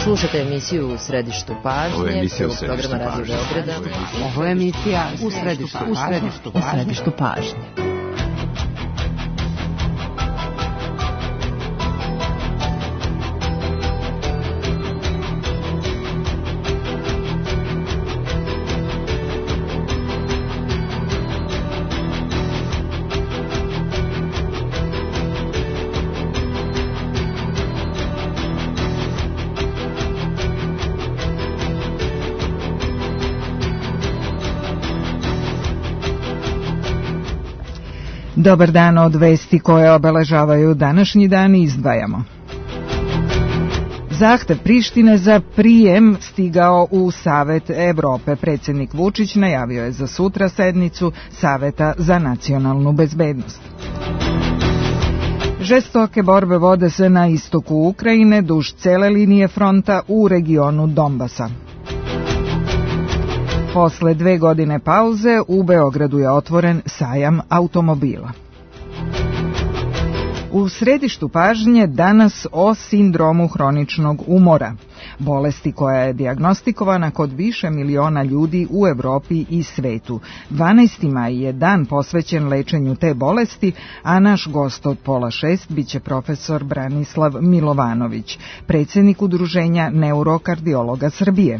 Slušate emisiju U središtu pažnje, programa Radio Beograda. Ovo je emisija U središtu pažnje. Dobar dan, od vesti koje obeležavaju današnji dan izdvajamo. Zahtev Prištine za prijem stigao u Savet Evrope. Predsjednik Vučić najavio je za sutra sednicu Saveta za nacionalnu bezbednost. Žestoke borbe vode se na istoku Ukrajine duž cele linije fronta u regionu Donbasa. Posle 2 godine pauze u Beogradu je otvoren sajam automobila. U središtu pažnje danas o sindromu hroničnog umora, bolesti koja je dijagnostikovana kod više miliona ljudi u Evropi i svetu. 12. maj je dan posvećen lečenju te bolesti, a naš gost od 5:30 biće profesor Branislav Milovanović, predsjednik Udruženja neurokardiologa Srbije.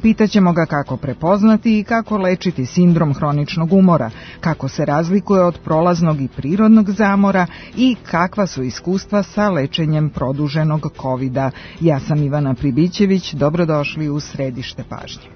Pitaćemo ga kako prepoznati i kako lečiti sindrom hroničnog umora, kako se razlikuje od prolaznog i prirodnog zamora i kakva su iskustva sa lečenjem produženog COVID-a. Ja sam Ivana Pribićević, dobrodošli u središte pažnje.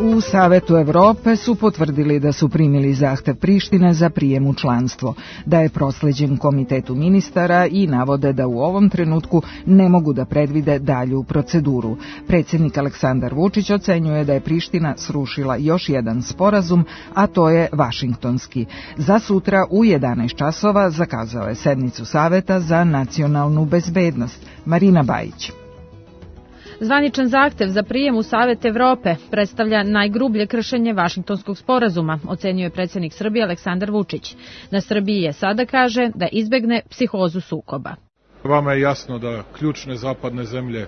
U Savetu Evrope su potvrdili da su primili zahtev Prištine za prijem u članstvo, da je prosleđen komitetu ministara i navode da u ovom trenutku ne mogu da predvide dalju proceduru. Predsjednik Aleksandar Vučić ocenjuje da je Priština srušila još jedan sporazum, a to je Vašingtonski. Za sutra u 11 časova zakazao je sednicu Saveta za nacionalnu bezbednost. Marina Bajić. Zvaničan zahtev za prijem u Savet Evrope predstavlja najgrublje kršenje Vašingtonskog sporazuma, ocenjuje predsjednik Srbije Aleksandar Vučić. Na Srbiji je sada, kaže, da izbegne psihozu sukoba. Vama je jasno da ključne zapadne zemlje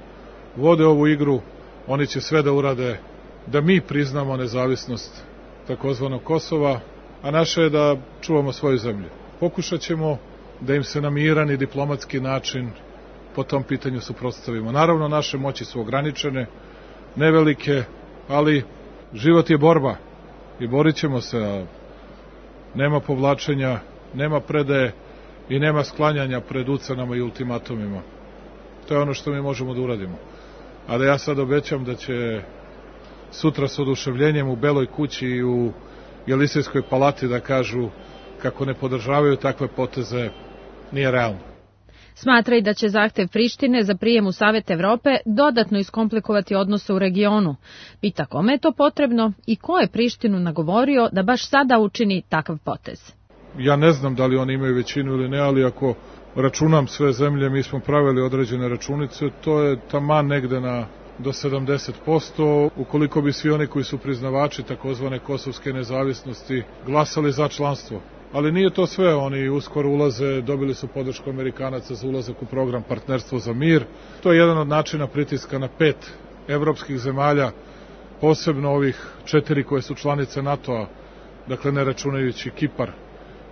vode ovu igru, oni će sve da urade da mi priznamo nezavisnost takozvanog Kosova, a naše je da čuvamo svoju zemlju. Pokušat ćemo da im se na miran i diplomatski način po tom pitanju suprotstavimo. Naravno, naše moći su ograničene, nevelike, ali život je borba i borit ćemo se, a nema povlačenja, nema predaje i nema sklanjanja pred ucenama i ultimatumima. To je ono što mi možemo da uradimo. A da ja sad obećam da će sutra s oduševljenjem u Beloj kući i u Jelisejskoj palati da kažu kako ne podržavaju takve poteze, nije realno. Smatra i da će zahtev Prištine za prijem u Savet Evrope dodatno iskomplikovati odnose u regionu. Pita kome je to potrebno i ko je Prištinu nagovorio da baš sada učini takav potez. Ja ne znam da li oni imaju većinu ili ne, ali ako računam sve zemlje, mi smo pravili određene računice, to je taman negde do 70%, ukoliko bi svi oni koji su priznavači takozvane kosovske nezavisnosti glasali za članstvo. Ali nije to sve, oni uskoro ulaze, dobili su podršku Amerikanaca za ulazak u program Partnerstvo za mir. To je jedan od načina pritiska na 5 evropskih zemalja, posebno ovih 4 koje su članice NATO-a, dakle ne računajući Kipar,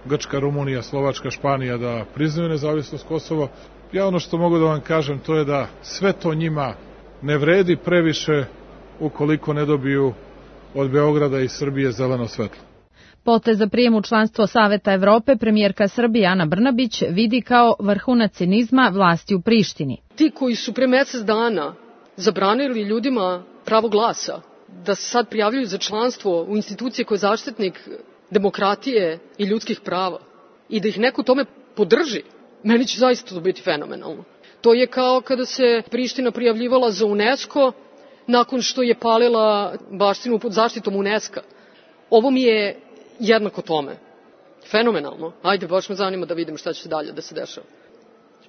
Grčka, Rumunija, Slovačka, Španija, da priznaju nezavisnost Kosova. Ja ono što mogu da vam kažem, to je da sve to njima ne vredi previše ukoliko ne dobiju od Beograda i Srbije zeleno svetlo. Potez za prijem u članstvo Saveta Evrope premijerka Srbije Ana Brnabić vidi kao vrhunac cinizma vlasti u Prištini. Ti koji su pre mesec dana zabranili ljudima pravo glasa, da se sad prijavljuju za članstvo u institucije koje je zaštitnik demokratije i ljudskih prava i da ih neko tome podrži, meni će zaista to biti fenomenalno. To je kao kada se Priština prijavljivala za UNESCO nakon što je palila baštinu pod zaštitom UNESCO. Ovo mi je jednako tome. Fenomenalno. Ajde, baš me zanima da vidim šta će dalje da se dešava.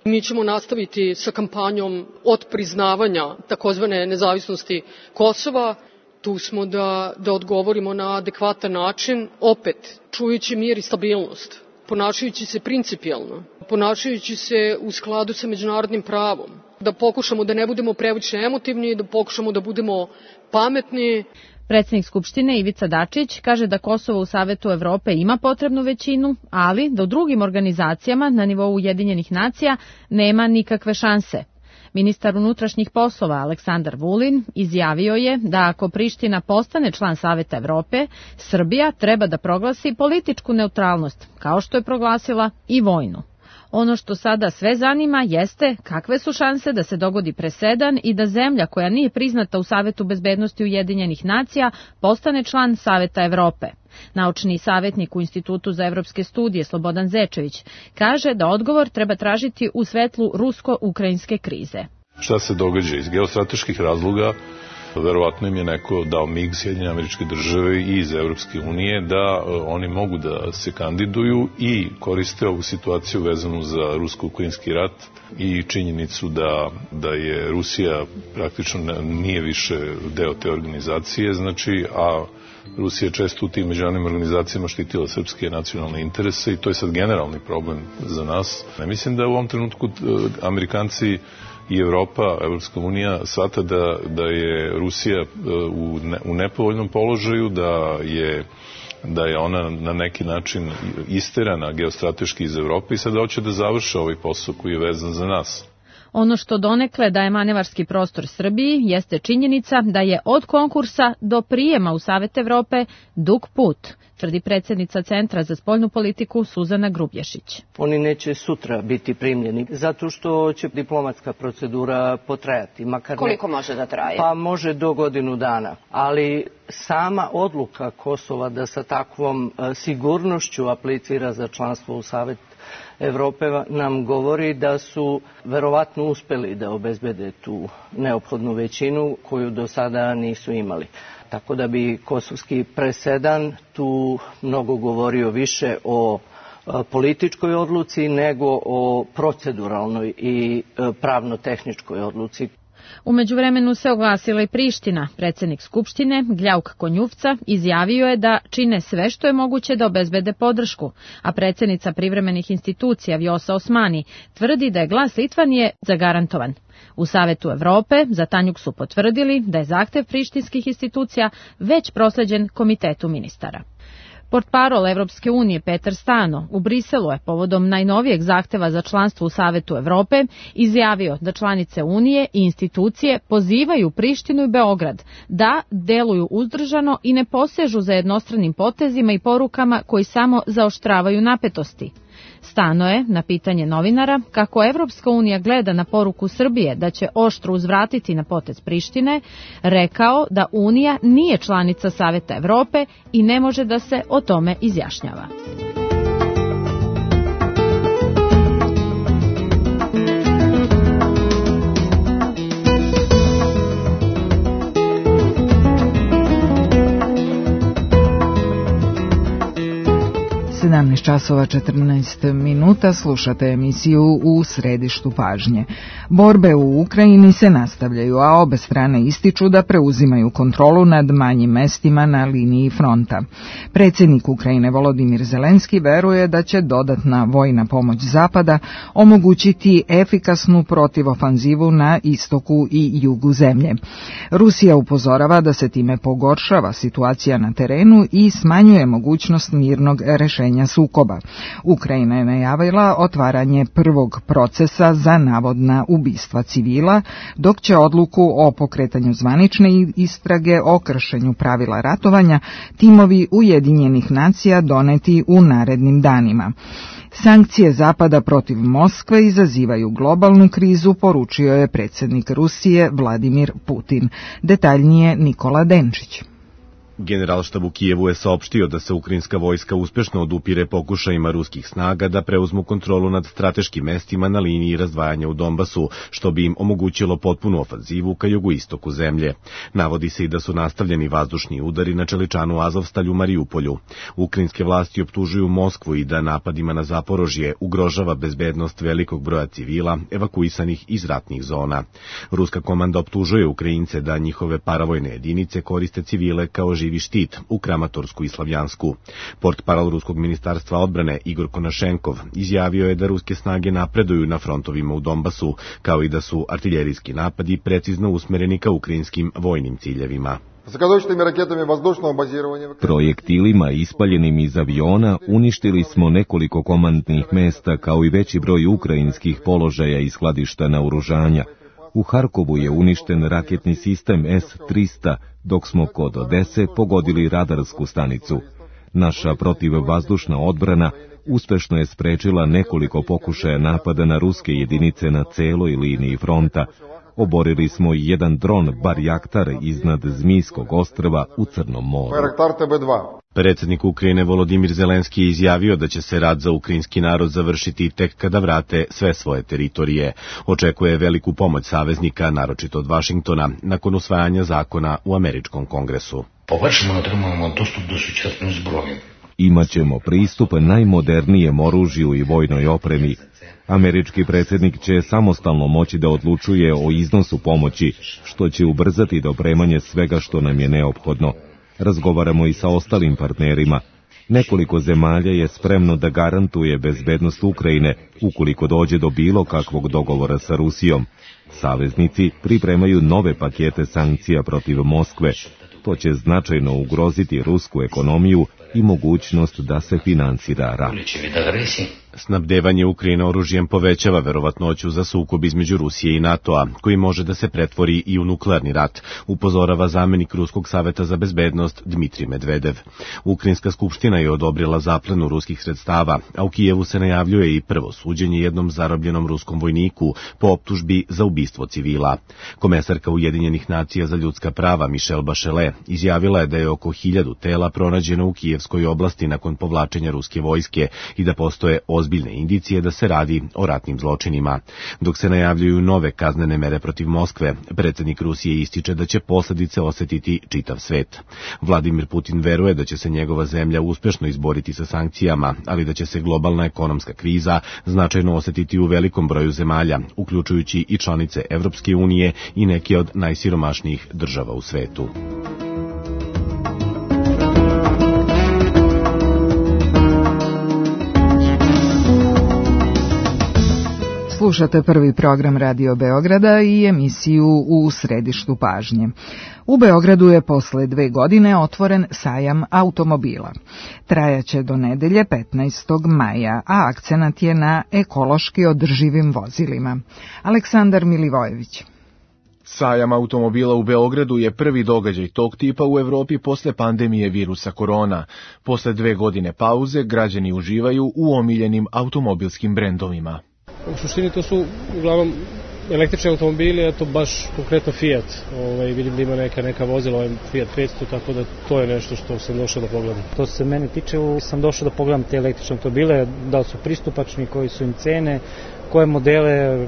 Mi ćemo nastaviti sa kampanjom od priznavanja takozvane nezavisnosti Kosova. Tu smo da odgovorimo na adekvatan način, opet čujući mir i stabilnost, ponašajući se principijelno, ponašajući se u skladu sa međunarodnim pravom, da pokušamo da ne budemo previše emotivni, da pokušamo da budemo pametni. Predsjednik Skupštine Ivica Dačić kaže da Kosovo u Savetu Evrope ima potrebnu većinu, ali da u drugim organizacijama na nivou Ujedinjenih nacija nema nikakve šanse. Ministar unutrašnjih poslova Aleksandar Vulin izjavio je da ako Priština postane član Saveta Evrope, Srbija treba da proglasi političku neutralnost, kao što je proglasila i vojnu. Ono što sada sve zanima jeste kakve su šanse da se dogodi presedan i da zemlja koja nije priznata u Savetu bezbednosti Ujedinjenih nacija postane član Saveta Evrope. Naučni savjetnik u Institutu za evropske studije Slobodan Zečević kaže da odgovor treba tražiti u svetlu rusko-ukrajinske krize. Šta se događa iz geostrateških razloga? Verovatno im je neko dao mig Sjedinjene Američke Države i iz Evropske unije da oni mogu da se kandiduju i koriste ovu situaciju vezanu za rusko-ukrajinski rat i činjenicu da je Rusija praktično nije više deo te organizacije, znači, a Rusija je često u tim međunarodnim organizacijama štitila srpske nacionalne interese i to je sad generalni problem za nas. Mislim da u ovom trenutku Amerikanci i Evropa, Evropska unija shvata da je Rusija u nepovoljnom položaju, da je ona na neki način isterana geostrateški iz Evrope i sada hoće da završe ovaj posao koji je vezan za nas. Ono što donekle daje manevarski prostor Srbiji jeste činjenica da je od konkursa do prijema u Savet Evrope dug put, tvrdi predsjednica Centra za spoljnu politiku Suzana Grubješić. Oni neće sutra biti primljeni, zato što će diplomatska procedura potrajati. Koliko može da traje? Pa može do godinu dana, ali sama odluka Kosova da sa takvom sigurnošću aplicira za članstvo u Savet Evrope nam govori da su verovatno uspeli da obezbede tu neophodnu većinu koju do sada nisu imali. Tako da bi kosovski presedan tu mnogo govorio više o političkoj odluci nego o proceduralnoj i pravno-tehničkoj odluci. U međuvremenu se oglasila i Priština. Predsjednik Skupštine, Gljauk Konjufca, izjavio je da čine sve što je moguće da obezbede podršku, a predsjednica privremenih institucija Vjosa Osmani tvrdi da je glas Litvanije zagarantovan. U Savetu Evrope za Tanjuk su potvrdili da je zahtev prištinskih institucija već prosleđen Komitetu ministara. Portparol Evropske unije Petar Stano u Briselu je povodom najnovijeg zahteva za članstvo u Savetu Evrope izjavio da članice Unije i institucije pozivaju Prištinu i Beograd da deluju uzdržano i ne posežu za jednostranim potezima i porukama koji samo zaoštravaju napetosti. Stano je, na pitanje novinara, kako Evropska unija gleda na poruku Srbije da će oštro uzvratiti na potez Prištine, rekao da Unija nije članica Saveta Evrope i ne može da se o tome izjašnjava. Časova 14 minuta, slušate emisiju U središtu pažnje. Borbe u Ukrajini se nastavljaju, a obe strane ističu da preuzimaju kontrolu nad manjim mestima na liniji fronta. Predsjednik Ukrajine Volodimir Zelenski veruje da će dodatna vojna pomoć Zapada omogućiti efikasnu protivofanzivu na istoku i jugu zemlje. Rusija upozorava da se time pogoršava situacija na terenu i smanjuje mogućnost mirnog rešenja sukoba. sukoba. Ukrajina je najavila otvaranje prvog procesa za navodna ubistva civila, dok će odluku o pokretanju zvanične istrage o kršenju pravila ratovanja timovi Ujedinjenih nacija doneti u narednim danima. Sankcije Zapada protiv Moskve izazivaju globalnu krizu, poručio je predsjednik Rusije Vladimir Putin. Detaljnije Nikola Denčić. Generalštab u Kijevu je saopštio da se ukrajinska vojska uspešno odupire pokušajima ruskih snaga da preuzmu kontrolu nad strateškim mestima na liniji razdvajanja u Donbasu, što bi im omogućilo potpunu ofanzivu ka jugoistoku zemlje. Navodi se i da su nastavljeni vazdušni udari na čeličanu Azovstalju u Mariupolju. Ukrajinske vlasti optužuju Moskvu i da napadima na Zaporožje ugrožava bezbednost velikog broja civila evakuisanih iz ratnih zona. Ruska komanda optužuje Ukrajince da njihove paravojne jedinice koriste civile kao živi štit u Kramatorsku i Slavjansku. Portparol ruskog ministarstva odbrane Igor Konašenkov izjavio je da ruske snage napreduju na frontovima u Donbasu, kao i da su artiljerijski napadi precizno usmereni ka ukrajinskim vojnim ciljevima. Projektilima ispaljenim iz aviona uništili smo nekoliko komandnih mesta kao i veći broj ukrajinskih položaja i skladišta naoružanja. U Harkovu je uništen raketni sistem S-300, dok smo kod Odese pogodili radarsku stanicu. Naša protivvazdušna odbrana uspešno je sprečila nekoliko pokušaja napada na ruske jedinice na celoj liniji fronta. Oborili smo i jedan dron Barjaktar iznad Zmijskog ostrva u Crnom moru. Predsjednik Ukrajine Volodimir Zelenski je izjavio da će se rat za ukrajinski narod završiti tek kada vrate sve svoje teritorije. Očekuje veliku pomoć saveznika, naročito od Vašingtona, nakon usvajanja zakona u američkom kongresu. Imaćemo pristup najmodernijem oružju i vojnoj opremi. Američki predsjednik će samostalno moći da odlučuje o iznosu pomoći, što će ubrzati dopremanje svega što nam je neophodno. Razgovaramo i sa ostalim partnerima. Nekoliko zemalja je spremno da garantuje bezbednost Ukrajine ukoliko dođe do bilo kakvog dogovora sa Rusijom. Saveznici pripremaju nove pakete sankcija protiv Moskve. To će značajno ugroziti rusku ekonomiju i mogućnost da se finansira rat. Snabdevanje Ukrajine oružjem povećava verovatnoću za sukob između Rusije i NATO-a, koji može da se pretvori i u nuklearni rat, upozorava zamenik Ruskog saveta za bezbednost Dmitrij Medvedev. Ukrajinska skupština je odobrila zaplenu ruskih sredstava, a u Kijevu se najavljuje i prvo suđenje jednom zarobljenom ruskom vojniku po optužbi za ubistvo civila. Komesarka Ujedinjenih nacija za ljudska prava Michelle Bachelet izjavila je da je oko 1000 tela pronađeno u Kijevskoj oblasti nakon povlačenja ruske vojske i da postoje ozbiljne indicije da se radi o ratnim zločinima. Dok se najavljuju nove kaznene mere protiv Moskve, predsjednik Rusije ističe da će posljedice osetiti čitav svet. Vladimir Putin veruje da će se njegova zemlja uspešno izboriti sa sankcijama, ali da će se globalna ekonomska kriza značajno osetiti u velikom broju zemalja, uključujući i članice Evropske unije i neke od najsiromašnijih država u svetu. Slušate prvi program Radio Beograda i emisiju U središtu pažnje. U Beogradu je posle 2 godine otvoren sajam automobila. Trajaće do nedelje 15. maja, a akcenat je na ekološki održivim vozilima. Aleksandar Milivojević. Sajam automobila u Beogradu je prvi događaj tog tipa u Evropi posle pandemije virusa korona. Posle 2 godine pauze građani uživaju u omiljenim automobilskim brendovima. U suštini to su uglavnom električni automobili, eto baš konkretno Fiat. Vidim da ima neka vozila, Fiat 500, tako da to je nešto što sam došao da pogledam. To se mene tiče, sam došao da pogledam te električne automobile, da li su pristupačni, koji su im cene, koje modele,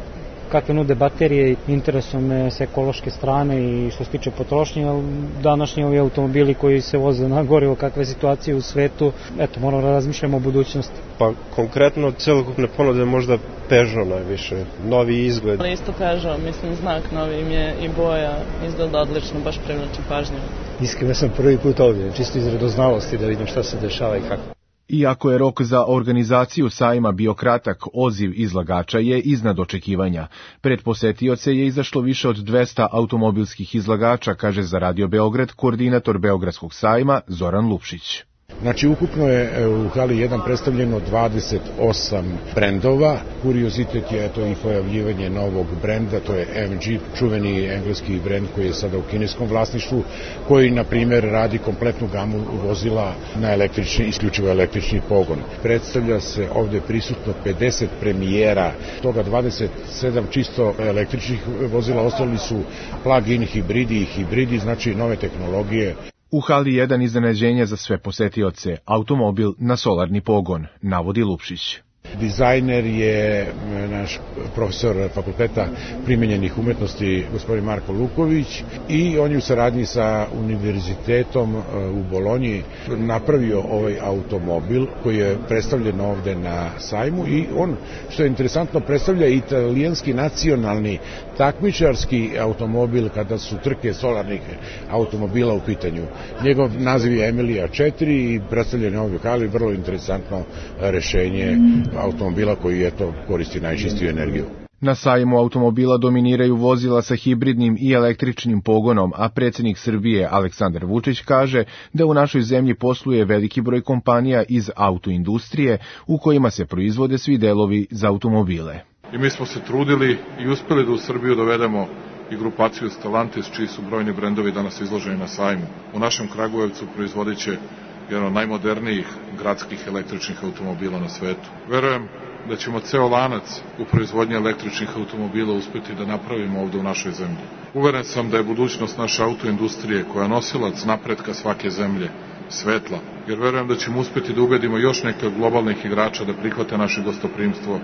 kakve nude baterije, interesuje me s ekološke strane i što se tiče potrošnje, današnji ovi automobili koji se voze na gorivo, kakve je situacije u svetu, eto, moramo da razmišljamo o budućnosti. Pa konkretno celokupne ponude možda Peugeot najviše, novi izgled. Isto Peugeot, mislim znak novi im je i boja izgleda odlično, baš privlači pažnju. Iskreno sam prvi put ovdje, čisto iz radoznalosti da vidim šta se dešava i kako. Iako je rok za organizaciju sajma bio kratak, odziv izlagača je iznad očekivanja. Pred posetioce je izašlo više od 200 automobilskih izlagača, kaže za Radio Beograd koordinator Beogradskog sajma Zoran Lupšić. Znači, ukupno je u hali 1 predstavljeno 28 brendova. Kuriozitet je to i pojavljivanje novog brenda, to je MG, čuveni engleski brend koji je sada u kineskom vlasništvu, koji, na primjer, radi kompletnu gamu vozila na isključivo električni pogon. Predstavlja se ovde prisutno 50 premijera, toga 27 čisto električnih vozila, ostali su plug-in hibridi, znači nove tehnologije. U hali 1 iznenađenje za sve posetioce, automobil na solarni pogon, navodi Lupšić. Dizajner je naš profesor Fakulteta primenjenih umetnosti gospodin Marko Luković i on je u saradnji sa univerzitetom u Bolonji napravio ovaj automobil koji je predstavljen ovde na sajmu i on, što je interesantno, predstavlja italijanski nacionalni takmičarski automobil kada su trke solarnih automobila u pitanju. Njegov naziv je Emilia 4 i predstavljen je ovdje kali, vrlo interesantno rešenje automobila koji koristi najčistiju energiju. Na sajmu automobila dominiraju vozila sa hibridnim i električnim pogonom, a predsjednik Srbije Aleksandar Vučić kaže da u našoj zemlji posluje veliki broj kompanija iz autoindustrije u kojima se proizvode svi delovi za automobile. I mi smo se trudili i uspeli da u Srbiju dovedemo i grupaciju Stellantis, čiji su brojni brendovi danas izloženi na sajmu. U našem Kragujevcu proizvodit će jedan od najmodernijih gradskih električnih automobila na svetu. Verujem da ćemo ceo lanac u proizvodnji električnih automobila uspeti da napravimo ovde u našoj zemlji. Uveren sam da je budućnost naše autoindustrije, koja je nosilac napretka svake zemlje, svetla, jer verujem da ćemo uspeti da ubedimo još neke od globalnih igrača da prihvate naše gostoprimstvo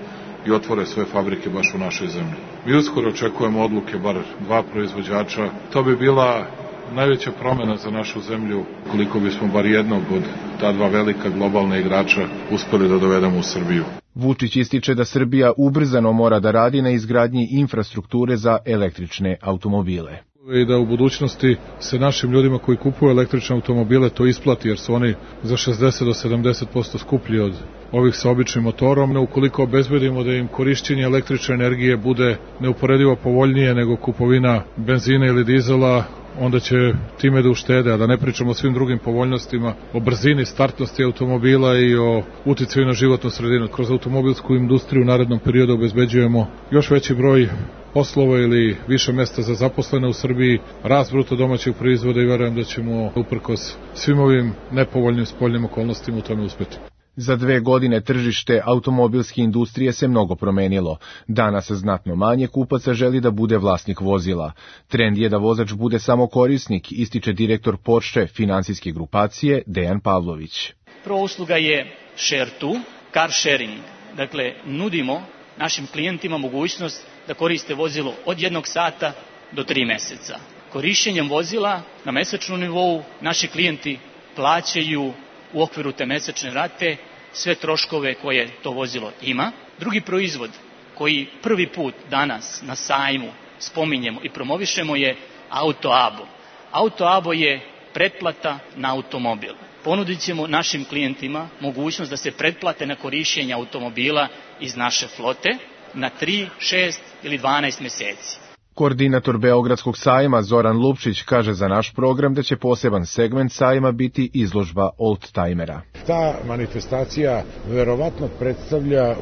i otvore svoje fabrike baš u našoj zemlji. Mi uskoro očekujemo odluke bar 2 proizvođača. To bi bila najveća promena za našu zemlju, koliko bismo bar jednog od ta 2 velika globalna igrača uspeli da dovedemo u Srbiju. Vučić ističe da Srbija ubrzano mora da radi na izgradnji infrastrukture za električne automobile. I da u budućnosti se našim ljudima koji kupuju električne automobile to isplati, jer su oni za 60 do 70% skuplji od ovih sa običnim motorom. Ukoliko obezbedimo da im korišćenje električne energije bude neuporedivo povoljnije nego kupovina benzina ili dizela, onda će time da uštede, a da ne pričamo o svim drugim povoljnostima, o brzini, startnosti automobila i o uticaju na životnu sredinu. Kroz automobilsku industriju u narednom periodu obezbeđujemo još veći broj poslova ili više mesta za zaposlene u Srbiji, rast bruto domaćeg proizvoda i verujem da ćemo uprkos svim ovim nepovoljnim spoljnim okolnostima u tome uspeti. Za 2 godine tržište automobilske industrije se mnogo promenilo. Danas znatno manje kupaca želi da bude vlasnik vozila. Trend je da vozač bude samo korisnik, ističe direktor Porsche finansijske grupacije Dejan Pavlović. Prva usluga je share2, car sharing. Dakle, nudimo našim klijentima mogućnost da koriste vozilo od 1 sata do 3 meseca. Korišćenjem vozila na mesečnom nivou naši klijenti plaćaju u okviru te mesečne rate sve troškove koje to vozilo ima. Drugi proizvod koji prvi put danas na sajmu spominjemo i promovišemo je AutoAbo. AutoAbo je pretplata na automobil. Ponudit ćemo našim klijentima mogućnost da se pretplate na korišćenje automobila iz naše flote na 3, 6 ili 12 meseci. Koordinator Beogradskog sajma Zoran Lupšić kaže za naš program da će poseban segment sajma biti izložba oldtimera. Ta manifestacija verovatno predstavlja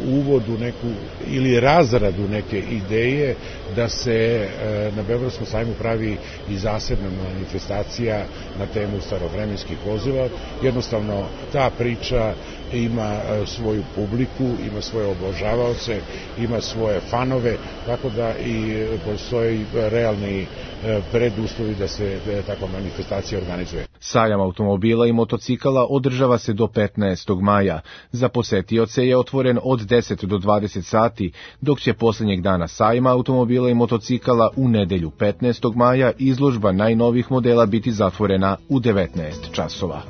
uvod u neku ili razradu neke ideje da se na Beogradskom sajmu pravi i zasebna manifestacija na temu starovremenskih vozila. Jednostavno ta priča ima svoju publiku, ima svoje obožavaoce, ima svoje fanove, tako da i postoji realni preduslovi da se takva manifestacija organizuje. Sajam automobila i motocikala održava se do 15. maja. Za posetioce je otvoren od 10 do 20 sati, dok će posljednjeg dana sajma automobila i motocikala u nedelju 15. maja izložba najnovijih modela biti zatvorena u 19 časova.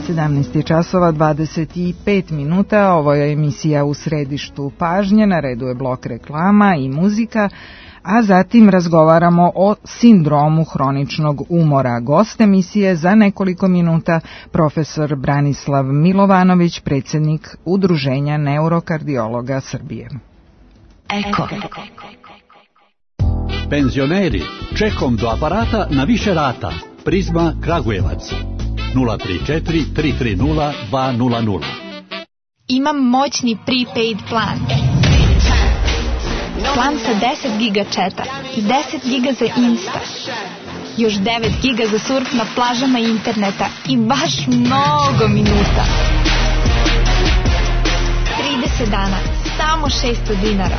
17 časova 25 minuta, ovo je emisija U središtu pažnje, na redu je blok reklama i muzika, a zatim razgovaramo o sindromu hroničnog umora. Gost emisije za nekoliko minuta profesor Branislav Milovanović, predsjednik Udruženja neurokardiologa Srbije. Eko. Penzioneri, čekom do aparata na više rata. Prizma Kragujevac 034 330 200. Imam moćni prepaid plan. Plan sa 10 giga četa i 10 giga za Insta. Još 9 giga za surf na plažama interneta i baš mnogo minuta. 30 dana, samo 600 dinara.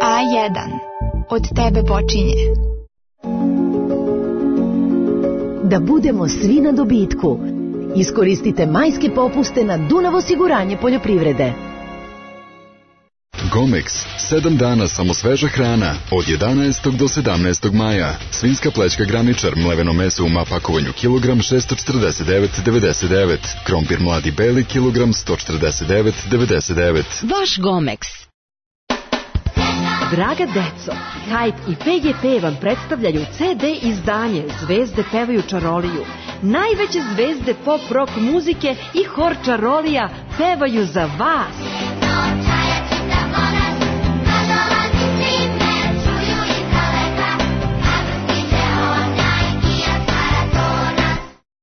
A1. Od tebe počinje. Da budemo svi na dobitku. Iskoristite majske popuste na Dunav osiguranje poljoprivrede. Gomex, 7 dana samo sveža hrana, od 11. do 17. maja. Svinjska plećka graničar, mleveno meso u mapakovanju kilogram 649,99. Krompir mladi beli kilogram 149,99. Vaš Gomex. Draga deco, Hype i PGP vam predstavljaju CD izdanje Zvezde pevaju čaroliju. Najveće zvezde pop rock muzike i hor čarolija pevaju za vas.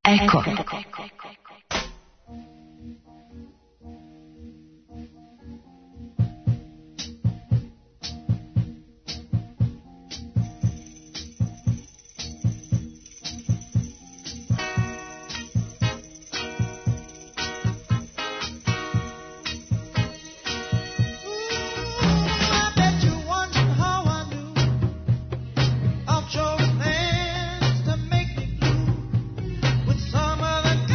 Eko. Of your hands to make me blue with some of the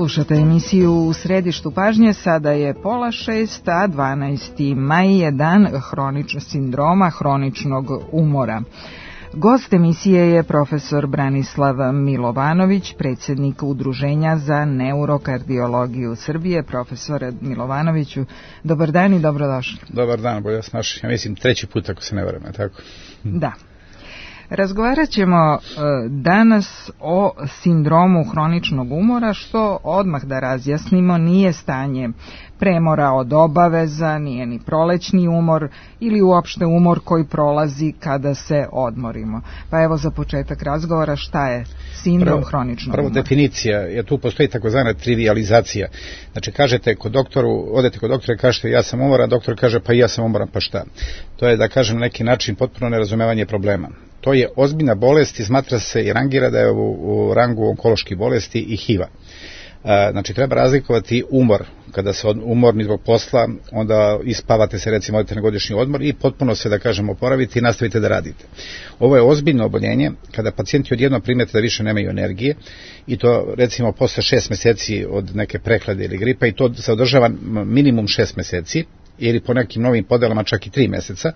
Slušate emisiju U središtu pažnje, sada je 5:30, a 12. maj je dan sindroma hroničnog umora. Gost emisije je profesor Branislav Milovanović, predsjednik Udruženja za neurokardiologiju Srbije. Profesore Milovanoviću, dobar dan i dobrodošli. Dobar dan, bolje vas našli. Ja mislim 3. put, ako se ne varam, tako? Da. Razgovarat ćemo danas o sindromu hroničnog umora, što odmah da razjasnimo nije stanje premora od obaveza, nije ni prolećni umor ili uopšte umor koji prolazi kada se odmorimo. Pa evo za početak razgovora, šta je sindrom hroničnog umora? Prvo definicija, jer tu postoji takozvana trivializacija. Znači odete kod doktora i kažete ja sam umoran, doktor kaže pa ja sam umoran, pa šta? To je, da kažem, na neki način potpuno nerazumevanje problema. To je ozbiljna bolest i smatra se i rangira da je u rangu onkoloških bolesti i HIV-a. Znači treba razlikovati umor. Kada se umorni zbog posla, onda ispavate se, recimo odete na godišnji odmor i potpuno se, da kažem, oporavite i nastavite da radite. Ovo je ozbiljno oboljenje kada pacijenti odjednom primete da više nemaju energije i to recimo posle 6 meseci od neke prehlade ili gripa, i to se održava minimum 6 meseci ili po nekim novim podelama čak i 3 meseca.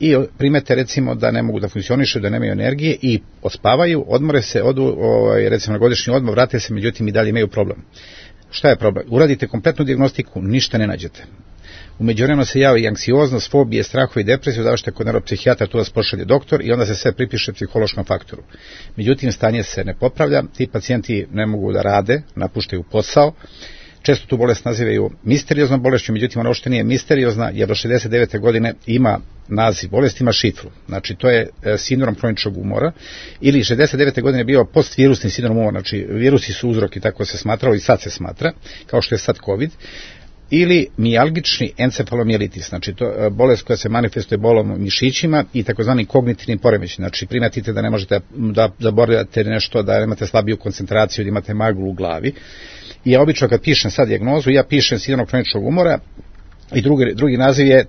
I primete recimo da ne mogu da funkcionišu, da nemaju energije i odspavaju, odmore se, odu recimo na godišnji odmor, vrate se, međutim i dalje imaju problem. Šta je problem? Uradite kompletnu dijagnostiku, ništa ne nađete. U međuvremenu se javi anksioznost, fobije, strahovi i depresiju, zašto je kod neuropsihijatra, tu vas pošalje doktor i onda se sve pripiše psihološkom faktoru. Međutim, stanje se ne popravlja, ti pacijenti ne mogu da rade, napuštaju posao. Često tu bolest nazivaju misterioznom bolešću, međutim ona uopšte nije misteriozna, jer do 69. godine ima naziv bolesti, ima šifru. Znači to je sindrom hroničnog umora, ili 69. godine je bio postvirusni sindrom umora, znači virusi su uzrok i tako se smatralo i sad se smatra, kao što je sad COVID, ili mijalgični encefalomijelitis, znači to je bolest koja se manifestuje bolom u mišićima i takozvani kognitivnim poremećajima. Znači primetite da ne možete da zaboravljate nešto, da imate slabiju koncentraciju, da imate maglu u glavi. I ja obično kad pišem sad dijagnozu, ja pišem sindrom hroničnog umora i drugi naziv je,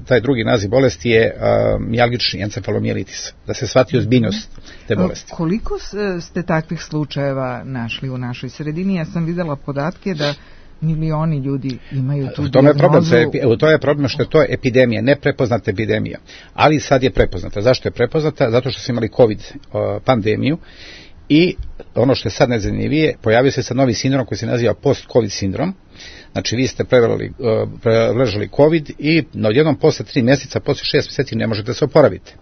taj drugi naziv bolesti je mijalgični encefalomijelitis, da se shvati ozbiljnost te bolesti. Koliko ste takvih slučajeva našli u našoj sredini? Ja sam videla podatke da milioni ljudi imaju tu dijagnozu. To je problem što je to epidemija, neprepoznata epidemija. Ali sad je prepoznata. Zašto je prepoznata? Zato što su imali COVID pandemiju i ono što je sad najzanimljivije, pojavio se sad novi sindrom koji se naziva post-COVID sindrom. Znači vi ste preležali COVID i odjednom posle 3 mjeseca, posle 6 mjeseci ne možete se oporaviti.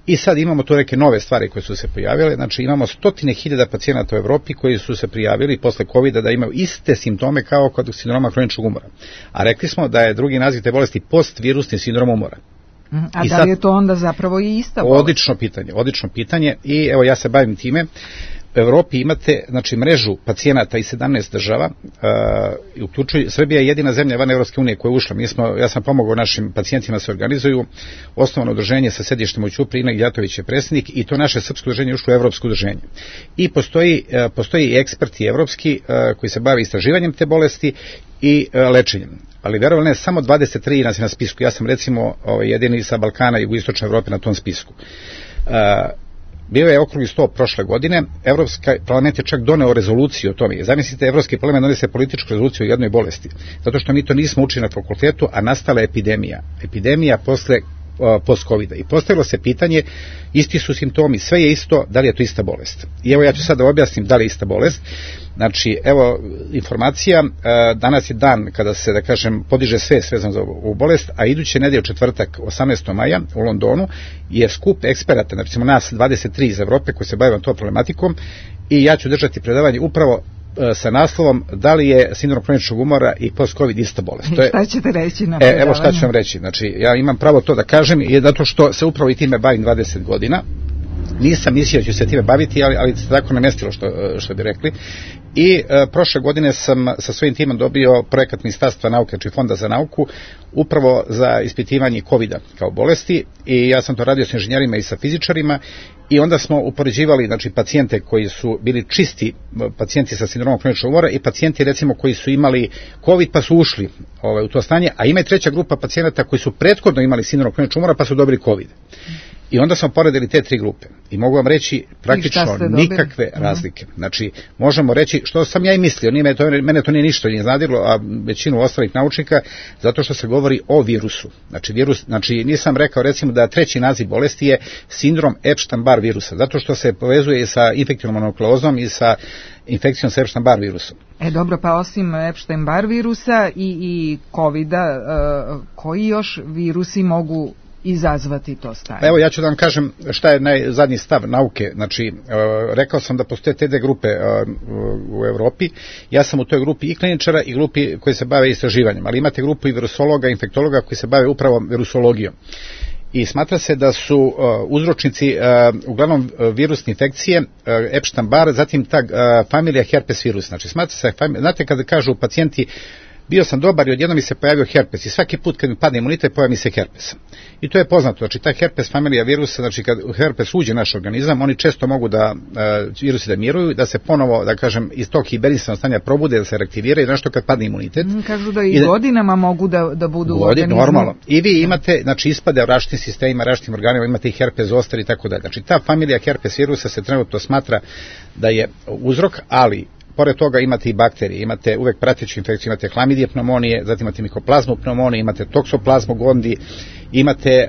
I sad imamo tu neke nove stvari koje su se pojavile, znači imamo 100.000 pacijenata u Evropi koji su se prijavili posle COVID-a da imaju iste simptome kao kod sindroma hroničnog umora. A rekli smo da je drugi naziv te bolesti postvirusni sindrom umora. A da li je to onda zapravo i ista bolest? Odlično pitanje i evo ja se bavim time. U Evropi imate, znači, mrežu pacijenata iz 17 država, Srbija je jedina zemlja van Evropske unije koja je ušla. Ja sam pomogao našim pacijentima da se organizuju, osnovano udruženje sa sedištem u Ćupriji, Ina Gjatović je predsjednik i to naše srpsko udruženje je ušlo u Evropsko udruženje. I postoji eksperti evropski koji se bave istraživanjem te bolesti i lečenjem. Ali verovali ne, samo 23 nas je na spisku. Ja sam recimo jedini sa Balkana i jugoistočne Evrope na tom spisku. Bio je okrugli sto prošle godine, Evropski parlament je čak doneo rezoluciju o tome. Zamislite, Evropski parlament donese političku rezoluciju o jednoj bolesti, zato što mi to nismo učili na fakultetu, a nastala je epidemija posle post-Covida. I postavilo se pitanje, isti su simptomi, sve je isto, da li je to ista bolest? I evo ja ću sad da objasnim da li je ista bolest. Znači, evo informacija, danas je dan kada se, da kažem, podiže svest vezano za ovu bolest, a iduće nedelje četvrtak, 18. maja u Londonu je skup eksperata, znači nas 23 iz Evrope koji se bave tom problematikom i ja ću držati predavanje upravo sa naslovom da li je sindrom hroničnog umora i post-COVID ista bolest. Šta ćete reći na predavanju? Evo šta ću vam reći. Znači, ja imam pravo to da kažem i zato što se upravo i time bavim 20 godina. Nisam mislio da ću se time baviti, ali se tako namestilo što bi rekli. I prošle godine sam sa svojim timom dobio projekat Ministarstva nauke, znači Fonda za nauku, upravo za ispitivanje COVID-a kao bolesti i ja sam to radio sa inženjerima i sa fizičarima i onda smo upoređivali, znači, pacijente koji su bili čisti pacijenti sa sindromom hroničnog umora i pacijenti recimo koji su imali COVID pa su ušli u to stanje, a ima i treća grupa pacijenata koji su prethodno imali sindrom hroničnog umora pa su dobili COVID. I onda smo poredili te 3 grupe i mogu vam reći praktično nikakve razlike. Znači, možemo reći, što sam ja i mislio, mene to nije ništa iznenadilo, a većinu ostalih naučnika, zato što se govori o virusu. Znači nisam rekao recimo da 3. naziv bolesti je sindrom Epstein-Barr virusa, zato što se povezuje i sa infektivnom mononuklozom i sa infekcijom s Epstein-Barr virusom. Dobro, pa osim Epstein-Barr virusa i COVID-a, koji još virusi mogu izazvati to stanje? Evo, ja ću da vam kažem šta je zadnji stav nauke. Znači, rekao sam da postoje te 2 grupe u Evropi. Ja sam u toj grupi i kliničara i grupi koji se bave istraživanjem, ali imate grupu i virusologa, infektologa koji se bave upravo virusologijom. I smatra se da su uzročnici uglavnom virusne infekcije, Epstein-Barr, zatim ta familija herpes virus. Znači, smatra se, znate kada kažu pacijenti bio sam dobar i odjednom mi se pojavio herpes i svaki put kad mi padne imunitet pojavi mi se herpes. I to je poznato, znači ta herpes familija virusa, znači kad herpes uđe u naš organizam, oni često mogu da virusi da miruju, da se ponovo, da kažem, iz tog hibernisanog stanja probude, da se reaktiviraju, nešto kad padne imunitet. Kažu da i godinama mogu da budu u organizmu. Normalno. I vi imate, znači ispade u različitim sistemima, različitim organima, imate i herpes zoster i tako dalje. Znači ta familija herpes virusa se trenutno smatra da je uzrok, ali pored toga imate i bakterije, imate uvek prateću infekciju, imate hlamidije pneumonije, zatim imate mikoplazmu pneumonije, imate toksoplazmu gondi, imate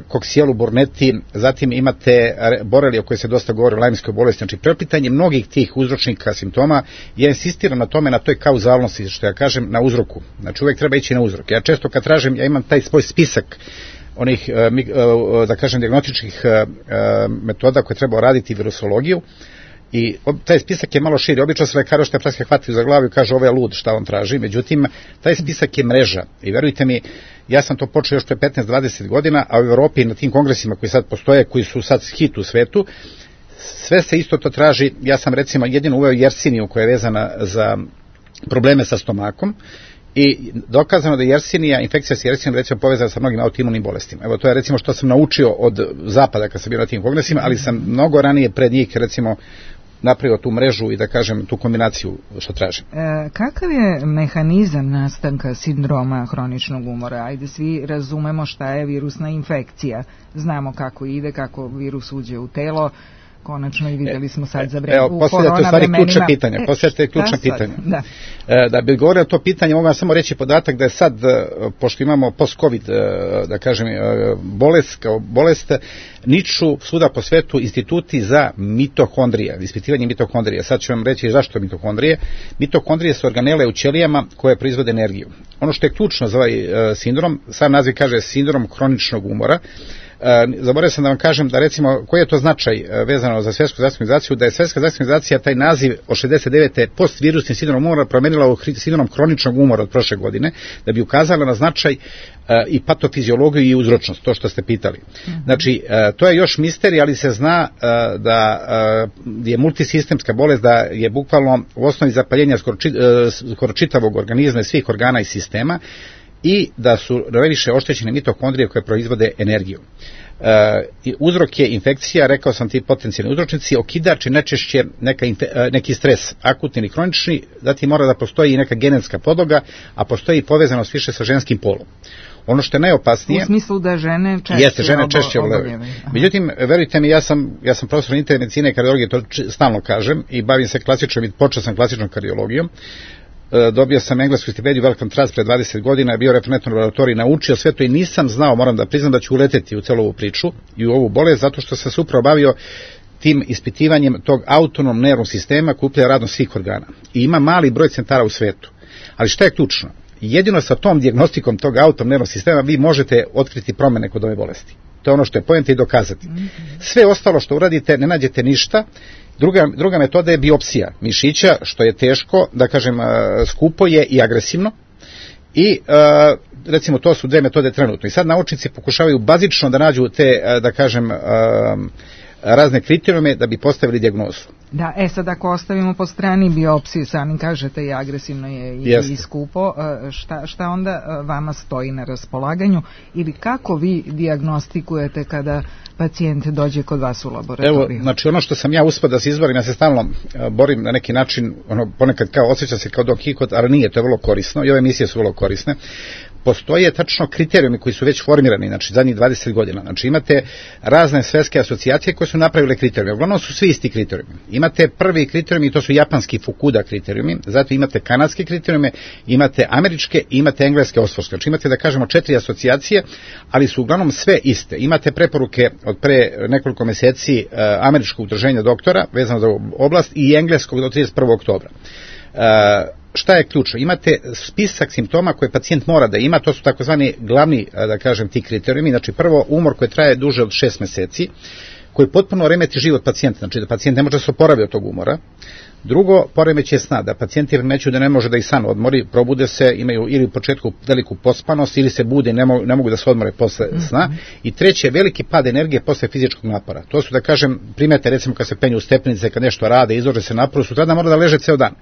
koksijelu burnetti, zatim imate borelije o kojoj se dosta govori o lajmskoj bolesti. Znači, preopitanje mnogih tih uzročnika simptoma, ja insistiram na tome, na toj kauzalnosti, što ja kažem, na uzroku. Znači, uvek treba ići na uzrok. Ja često kad tražim, ja imam taj svoj spisak onih, da kažem, dijagnostičkih metoda koje treba raditi virusologiju, i taj spisak je malo širi. Obično se lekari što je praske hvataju za glavu i kažu ovo je lud šta on traži, međutim taj spisak je mreža i verujte mi, ja sam to počeo još pre 15-20 godina, a u Evropi na tim kongresima koji sad postoje, koji su sad hit u svetu, sve se isto to traži. Ja sam recimo jedino uveo jersiniju koja je vezana za probleme sa stomakom i dokazano da jersinija, infekcija s jersinijom recimo povezana sa mnogim autoimunim bolestima. Evo to je recimo što sam naučio od zapada kad sam bio na tim kongresima, ali sam mnogo ranije pred njih recimo napravio tu mrežu i da kažem tu kombinaciju što tražim. Kakav je mehanizam nastanka sindroma hroničnog umora? Ajde, svi razumemo šta je virusna infekcija. Znamo kako ide, kako virus uđe u telo. Konačno i vidjeli smo sad za vreme u korona vremenima. Postavljate ključna pitanja. Da bi govorio o to pitanje, mogu vam samo reći podatak da je sad, pošto imamo post-covid, da kažem, bolest, niču svuda po svetu instituti za mitohondrije, ispitivanje mitohondrije. Sad ću vam reći zašto mitohondrije. Mitohondrije su organele u ćelijama koje proizvode energiju. Ono što je ključno za ovaj sindrom, sam naziv kaže sindrom hroničnog umora. Zaboravio sam da vam kažem da recimo koji je to značaj vezano za Svjetsku zdravstvenu organizaciju, da je Svjetska zdravstvena organizacija taj naziv od 69. postvirusni sindrom umora promenila u sindrom hroničnog umora od prošle godine, da bi ukazala na značaj i patofiziologiju i uzročnost, to što ste pitali. Znači, to je još misterij, ali se zna da je multisistemska bolest, da je bukvalno u osnovi zapaljenja skoro čitavog organizma i svih organa i sistema, i da su najviše oštećene mitohondrije koje proizvode energiju. Uzrok je infekcija, rekao sam ti potencijalni uzročnici, okidač je najčešće neki stres, akutni ili kronični, zatim mora da postoji i neka genetska podloga, a postoji i povezanost više sa ženskim polom. Ono što je najopasnije... U smislu da žene češće oboljevaju. Međutim, verujte mi, ja sam profesor interne medicine i kardiologije, to stalno kažem, i bavim se klasičnom i počeo sam klasičnom kardiologijom. Dobio sam englesku stipendiju Wellcome Trust pre 20 godina, bio referentno u laboratoriji, naučio sve to i nisam znao, moram da priznam da ću uleteti u celu ovu priču i u ovu bolest, zato što sam se upravo bavio tim ispitivanjem tog autonomnog nervnog sistema koji upravlja radom svih organa. I ima mali broj centara u svetu. Ali šta je ključno? Jedino sa tom dijagnostikom tog autonomnog nervnog sistema vi možete otkriti promene kod ove bolesti. To je ono što je poenta i dokazati. Sve ostalo što uradite, ne nađete ništa. Druga metoda je biopsija mišića, što je teško, da kažem, skupo je i agresivno. I recimo to su 2 metode trenutno. I sad naučnici pokušavaju bazično da nađu te, da kažem, razne kriterijume da bi postavili dijagnozu. Da, sad ako ostavimo po strani biopsiju, sami kažete i agresivno je i skupo, šta onda vama stoji na raspolaganju ili kako vi dijagnostikujete kada pacijent dođe kod vas u laboratoriju? Evo, znači ono što sam ja uspio da se izborim, ja se stalno borim na neki način, ponekad kao osjećam se kao Don Kihot, ali nije, to je vrlo korisno i ove emisije su vrlo korisne. postoje tačno kriterijumi koji su već formirani, znači zadnjih 20 godina. Znači imate razne svetske asocijacije koje su napravile kriterijumi. Uglavnom su svi isti kriterijumi. Imate prvi kriterijumi i to su japanski Fukuda kriterijumi, zatim imate kanadske kriterijume, imate američke i imate engleske Oxfordske. Znači imate da kažemo 4 asocijacije, ali su uglavnom sve iste. Imate preporuke od pre nekoliko meseci američkog udruženja doktora vezano za oblast i engleskog do 31. oktobra. Šta je ključno? Imate spisak simptoma koje pacijent mora da ima, to su takozvani glavni, da kažem, ti kriterijumi. Znači prvo, umor koji traje duže od 6 meseci, koji potpuno remeti život pacijenta, znači da pacijent ne može da se oporavi od tog umora. Drugo, poremećaj sna, da pacijenti remećuju da ne može da i san odmori, probude se, imaju ili u početku veliku pospanost, ili se bude i ne mogu da se odmore posle sna. I treće, veliki pad energije posle fizičkog napora. To su, da kažem, primete recimo kad se penju u stepenice, kad nešto rade, izlože se naporu, sutradan mora da leže ceo dan.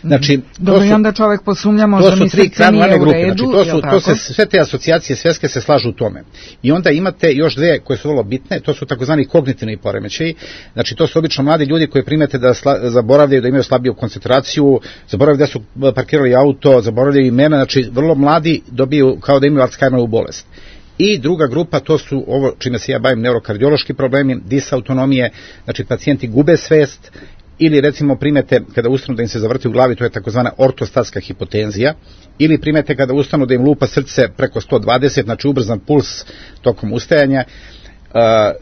Znači, dobro, i onda čovjek posumnja možda mi srce nije u redu. Znači, sve te asocijacije svetske se slažu u tome. I onda imate još dve koje su vrlo bitne, to su takozvani kognitivni poremećaji. Znači, to su obično mladi ljudi koji primete da zaboravljaju, da imaju slabiju koncentraciju, zaboravljaju da su parkirali auto, zaboravljaju imena, znači vrlo mladi dobiju kao da imaju Alzheimerovu bolest. I druga grupa, to su ovo čime se ja bavim, neurokardiološki problemi, disautonomije, znači pacijenti gube svest, ili recimo primete kada ustanu da im se zavrti u glavi, to je takozvana ortostatska hipotenzija, ili primete kada ustanu da im lupa srce preko 120, znači ubrzan puls tokom ustajanja,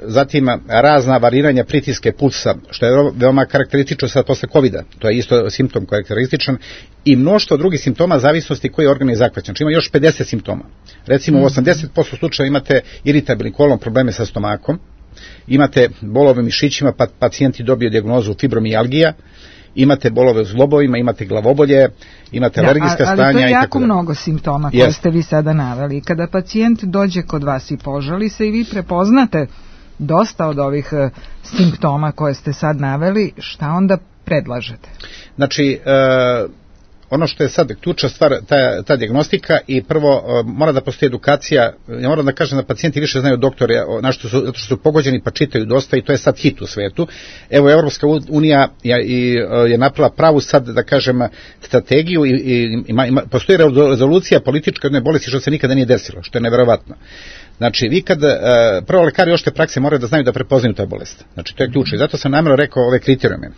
zatim razna variranja pritiske pulsa, što je veoma karakteristično sad posle COVID-a, to je isto simptom karakterističan, i mnoštvo drugih simptoma zavisnosti koji je organ je zahvaćen. Znači ima još 50 simptoma. Recimo u 80% slučaja imate iritabilni kolon, probleme sa stomakom, imate bolove u mišićima, pa pacijenti dobiju dijagnozu fibromijalgija, imate bolove u zglobovima, imate glavobolje, imate alergijska stanja i tako dalje. Ali to je jako mnogo simptoma koje ste vi sada naveli. Kada pacijent dođe kod vas i požali se i vi prepoznate dosta od ovih simptoma koje ste sad naveli, šta onda predlažete? Znači, ono što je sad ključna stvar, ta dijagnostika, i prvo mora da postoji edukacija. Ja moram da kažem da pacijenti više znaju doktore, zato što su pogođeni pa čitaju dosta, i to je sad hit u svetu. Evo, Evropska unija je napravila pravu sad, da kažem, strategiju i postoji rezolucija politička jedne bolesti što se nikada nije desilo, što je neverovatno. Znači, vi kad, prvo lekari opšte prakse moraju da znaju da prepoznaju ta bolest. Znači, to je ključno i zato sam namjerno rekao ove kriterijume.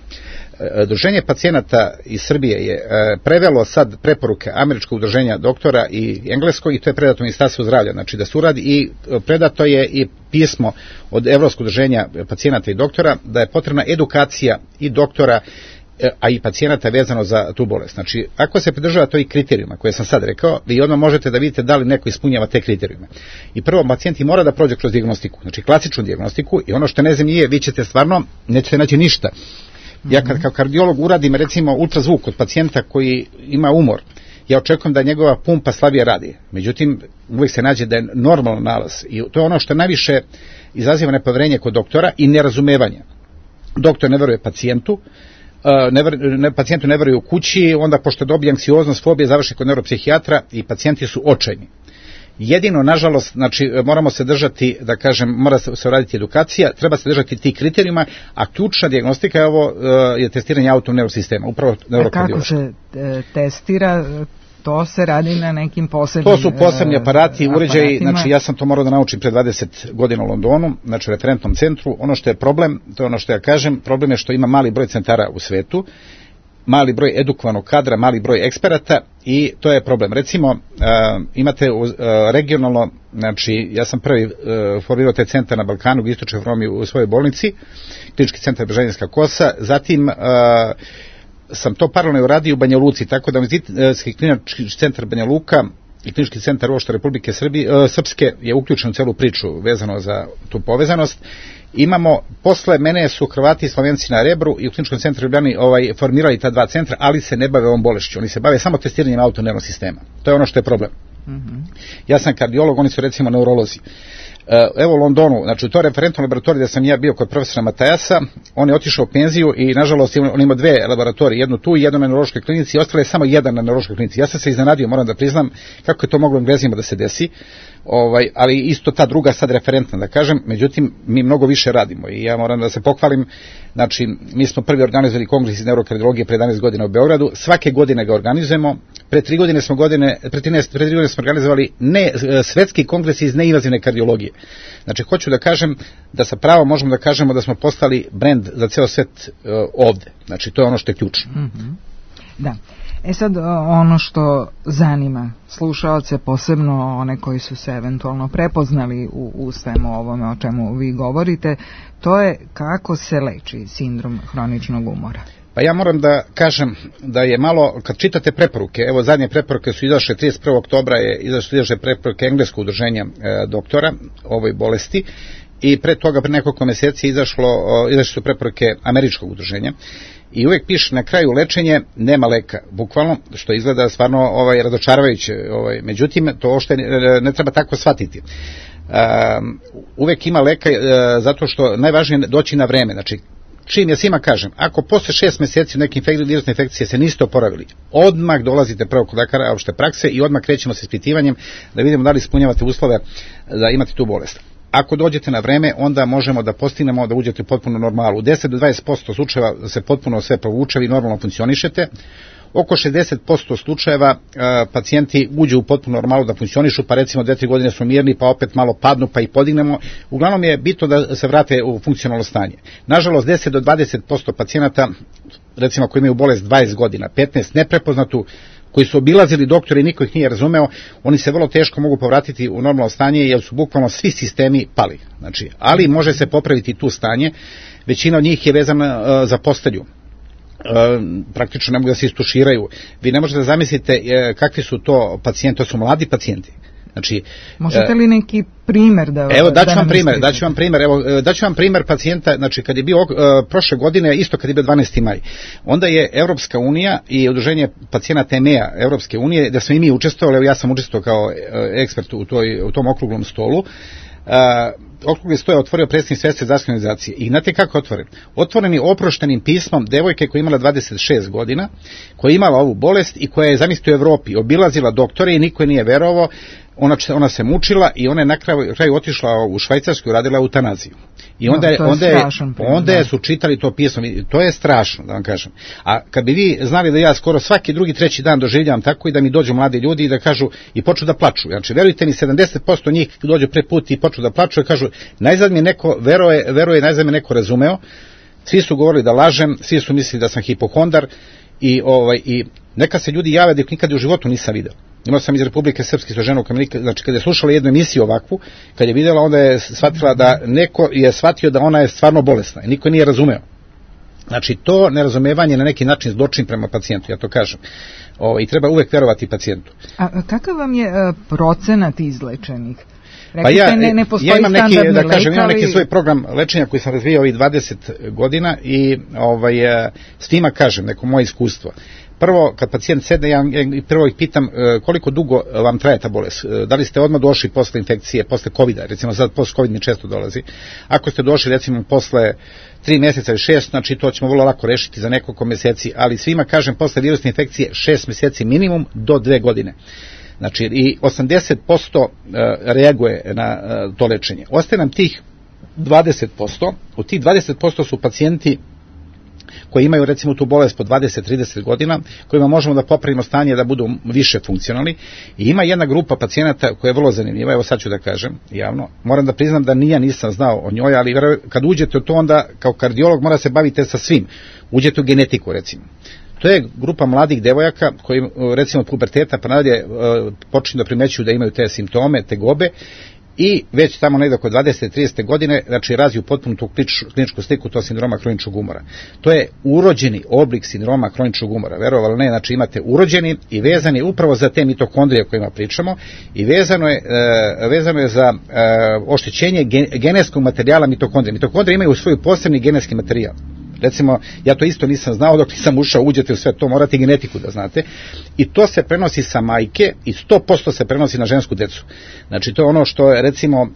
Udruženje pacijenata iz Srbije je prevelo sad preporuke američkog udruženja doktora i engleskog, i to je predato Ministarstvu zdravlja, znači da se uradi, i predato je i pismo od Evropskog udruženja pacijenata i doktora da je potrebna edukacija i doktora, a i pacijenata vezano za tu bolest. Znači, ako se pridržava to i kriterijuma koje sam sad rekao, vi odmah možete da vidite da li neko ispunjava te kriterijume. I prvo, pacijenti mora da prođe kroz dijagnostiku, znači klasičnu dijagnostiku, i ono što ne znam nije, vi ćete stvarno, nećete naći ništa. Ja kad kao kardiolog uradim recimo ultrazvuk kod pacijenta koji ima umor, ja očekujem da njegova pumpa slabije radi. Međutim, uvijek se nađe da je normalan nalaz, i to je ono što najviše izaziva nepoverenje kod doktora i nerazumevanje. Doktor ne veruje pacijentu, pacijentu ne veruje u kući, onda pošto dobije anksioznost, fobije, završi kod neuropsihijatra i pacijenti su očajni. Jedino, nažalost, znači, moramo se držati, da kažem, mora se raditi edukacija, treba se držati tih kriterijuma, a ključna dijagnostika je ovo, je testiranje autonomnog neurosistema, upravo neurokardiološki. Kako se testira? To se radi na nekim posebnim... To su posebni aparati, uređaji, znači ja sam to morao da naučim pre 20 godina u Londonu, znači u referentnom centru. Ono što je problem, to je ono što ja kažem, problem je što ima mali broj centara u svetu, mali broj edukovanog kadra, mali broj eksperata, i to je problem. Recimo, imate regionalno, znači ja sam prvi formirao taj centar na Balkanu, u istočnoj Evropi u svojoj bolnici, klinički centar Bežanijska kosa, zatim sam to paralelno uradio u Banja Luci, tako da Medicinski klinički centar Banja Luka i klinički centar uopšte Republike Srpske je uključen u celu priču vezano za tu povezanost. Imamo, posle mene su Hrvati i Slovenci na Rebru i u kliničkom centru Ljubljani formirali ta dva centra, ali se ne bave ovom bolešću, oni se bave samo testiranjem autonomnog sistema. To je ono što je problem. Ja sam kardiolog, oni su recimo neurolozi. Evo u Londonu, znači to je referentno laboratorij gde sam ja bio kod profesora Matajasa, on je otišao u penziju i nažalost on ima dve laboratorije, jednu tu i jednu na neurološkoj klinici i ostale je samo jedan na neurološkoj klinici. Ja sam se iznenadio, moram da priznam, kako je to moglo Englezima da se desi, ali isto ta druga sad referentna da kažem, međutim mi mnogo više radimo i ja moram da se pohvalim, znači mi smo prvi organizovali kongres iz neurokardiologije pre 11 godina u Beogradu, svake godine ga organizujemo, pre 3 godine smo organizovali svetski kongres iz neinvazivne kardiologije. Znači hoću da kažem da sa pravo možemo da kažemo da smo postali brend za ceo svet ovde, znači to je ono što je ključno. Da. Sad ono što zanima slušaoce, posebno one koji su se eventualno prepoznali u svemu ovome o čemu vi govorite, to je kako se leči sindrom hroničnog umora. Pa ja moram da kažem da je malo, kad čitate preporuke, evo zadnje preporuke su izašle 31. oktobra izašle preporuke Engleskog udruženja doktora ovoj bolesti i pre toga, pre nekoliko meseci izašle su preporuke Američkog udruženja. I uvek piše na kraju lečenje nema leka, bukvalno, što izgleda stvarno razočaravajuće, međutim to uopšte ne treba tako shvatiti. Uvek ima leka zato što najvažnije je doći na vreme, znači čim ja svima kažem, ako posle 6 meseci neke virusne infekcije se niste oporavili, odmah dolazite prvo kod lekara opšte prakse i odmah krećemo sa ispitivanjem da vidimo da li ispunjavate uslove da imate tu bolest. Ako dođete na vreme, onda možemo da postignemo da uđete u potpuno normalu. U 10 do 20% slučajeva se potpuno sve provuče i normalno funkcionišete. Oko 60% slučajeva pacijenti uđu u potpuno normalu da funkcionišu, pa recimo 2-3 godine su mirni, pa opet malo padnu, pa ih podignemo. Uglavnom je bitno da se vrate u funkcionalno stanje. Nažalost, 10 do 20% pacijenata, recimo koji imaju bolest 20 godina, 15 neprepoznatu, koji su obilazili doktori i niko ih nije razumeo, oni se vrlo teško mogu povratiti u normalno stanje jer su bukvalno svi sistemi pali. Znači, ali može se popraviti tu stanje, većina od njih je vezana za postelju. Praktično ne mogu da se istuširaju. Vi ne možete da zamislite kakvi su to pacijenti, to su mladi pacijenti. Znači, možete li neki primer da... Evo, daću vam primer pacijenta, znači kad je bio prošle godine, isto kad je bio 12. maj, onda je Evropska unija i udruženje pacijenata EMEA Evropske unije, da smo i mi učestvovali, evo ja sam učestvovao kao ekspert u tom okruglom stolu, okrugli sto je otvorio predsjednik Svetske zdravstvene organizacije. I znate kako je otvoren? Otvoren je oproštenim pismom devojke koja je imala 26 godina, koja je imala ovu bolest i koja je, zamislite, u Evropi obilazila doktore i niko je nije verovao. Ona se mučila i ona je na kraju otišla u Švajcarsku i radila eutanaziju. I onda su čitali to pismo. To je strašno, da vam kažem. A kad bi vi znali da ja skoro svaki drugi, treći dan doživljavam tako i da mi dođu mladi ljudi i da kažu i počnu da plaču. Znači, verujte mi, 70% njih dođu pre put i počnu da plaču i kažu, najzad mi neko veruje, najzad mi neko razumeo. Svi su govorili da lažem, svi su mislili da sam hipohondar i neka se ljudi jave da ih nikad u životu nisam video. Imao sam iz Republike Srpske sa ženom, znači kada je slušala jednu emisiju ovakvu, kad je vidjela, onda je shvatila da neko je shvatio da ona je stvarno bolesna i niko nije razumeo. Znači to nerazumevanje na neki način zločin prema pacijentu, ja to kažem. I treba uvek verovati pacijentu. A kakav vam je procenat izlečenih? Pa ja imam neki svoj program lečenja koji sam razvijao ovih 20 godina i svima kažem neko moje iskustvo. Prvo, kad pacijent sedne, ja prvo ih pitam koliko dugo vam traje ta bolest. Da li ste odmah došli posle infekcije, posle COVID-a, recimo sad posle COVID mi često dolazi. Ako ste došli recimo posle 3 mjeseca ili 6, znači to ćemo vrlo lako rešiti za nekoliko mjeseci, ali svima kažem posle virusne infekcije 6 mjeseci minimum do 2 godine. Znači i 80% reaguje na to lečenje. Ostaje nam tih 20%, od tih 20% su pacijenti koji imaju recimo tu bolest po 20-30 godina, kojima možemo da popravimo stanje da budu više funkcionalni. I ima jedna grupa pacijenata koja je vrlo zanimljiva, evo sad ću da kažem javno, moram da priznam da nisam znao o njoj, ali kad uđete u to onda kao kardiolog mora se bavite sa svim. Uđete u genetiku recimo. To je grupa mladih devojaka koji recimo od puberteta pa nadalje počinju da primećuju da imaju te simptome, tegobe i već tamo negdje oko 20-30 godine, znači razviju potpuno tu kliničku sliku to sindroma hroničnog umora. To je urođeni oblik sindroma hroničnog umora, verovali ne, znači imate urođeni i vezani upravo za te mitokondrije o kojima pričamo i vezano je za oštećenje genetskog materijala mitokondrije. Mitokondrije imaju svoj posebni genetski materijal. Recimo, ja to isto nisam znao dok nisam ušao, uđete u sve to, morate genetiku da znate. I to se prenosi sa majke i 100% se prenosi na žensku decu. Znači, to je ono što je, recimo,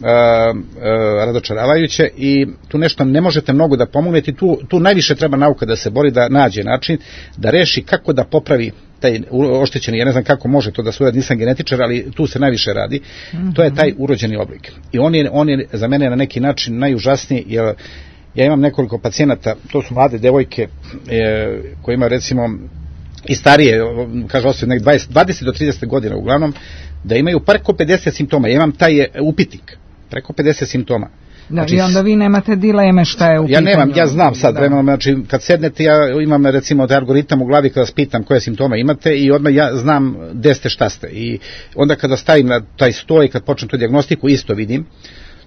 razočaravajuće i tu nešto ne možete mnogo da pomognete. Tu najviše treba nauka da se bori, da nađe način, da reši kako da popravi taj oštećeni, ja ne znam kako može to da se uradi, nisam genetičar, ali tu se najviše radi, to je taj urođeni oblik. I on je za mene na neki način najužasniji, jer ja imam nekoliko pacijenata, to su mlade devojke koje imaju recimo i starije, kaže osobe, 20 do 30 godina uglavnom, da imaju preko 50 simptoma. Ja imam taj upitnik, preko 50 simptoma. Da, znači, i onda vi nemate dileme šta je u pitanju. Ja znam sad, znači kad sednete, ja imam recimo taj algoritam u glavi kada vas pitam koje simptome imate i odmah ja znam gde ste, šta ste. I onda kada stavim na taj sto i kad počnem tu dijagnostiku, isto vidim.